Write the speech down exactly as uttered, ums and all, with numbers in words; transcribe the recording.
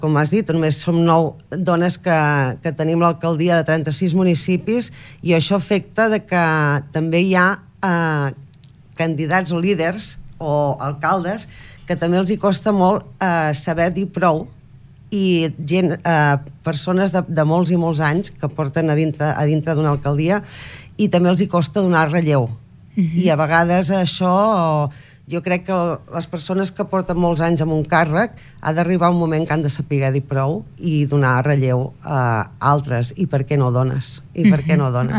com has dit, només som nou dones que, que tenim l'alcaldia de trenta-sis municipis, i això afecta de que també hi ha eh, candidats o líders o alcaldes que també els hi costa molt eh, saber dir prou, i gent, eh, persones de, de molts i molts anys que porten a dintre, a dintre d'una alcaldia, i també els hi costa donar relleu. Mm-hmm. I a vegades això... Jo crec que les persones que porten molts anys amb un càrrec ha d'arribar un moment que han de saber dir prou i donar relleu a altres. I per què no dones? I per què no dones?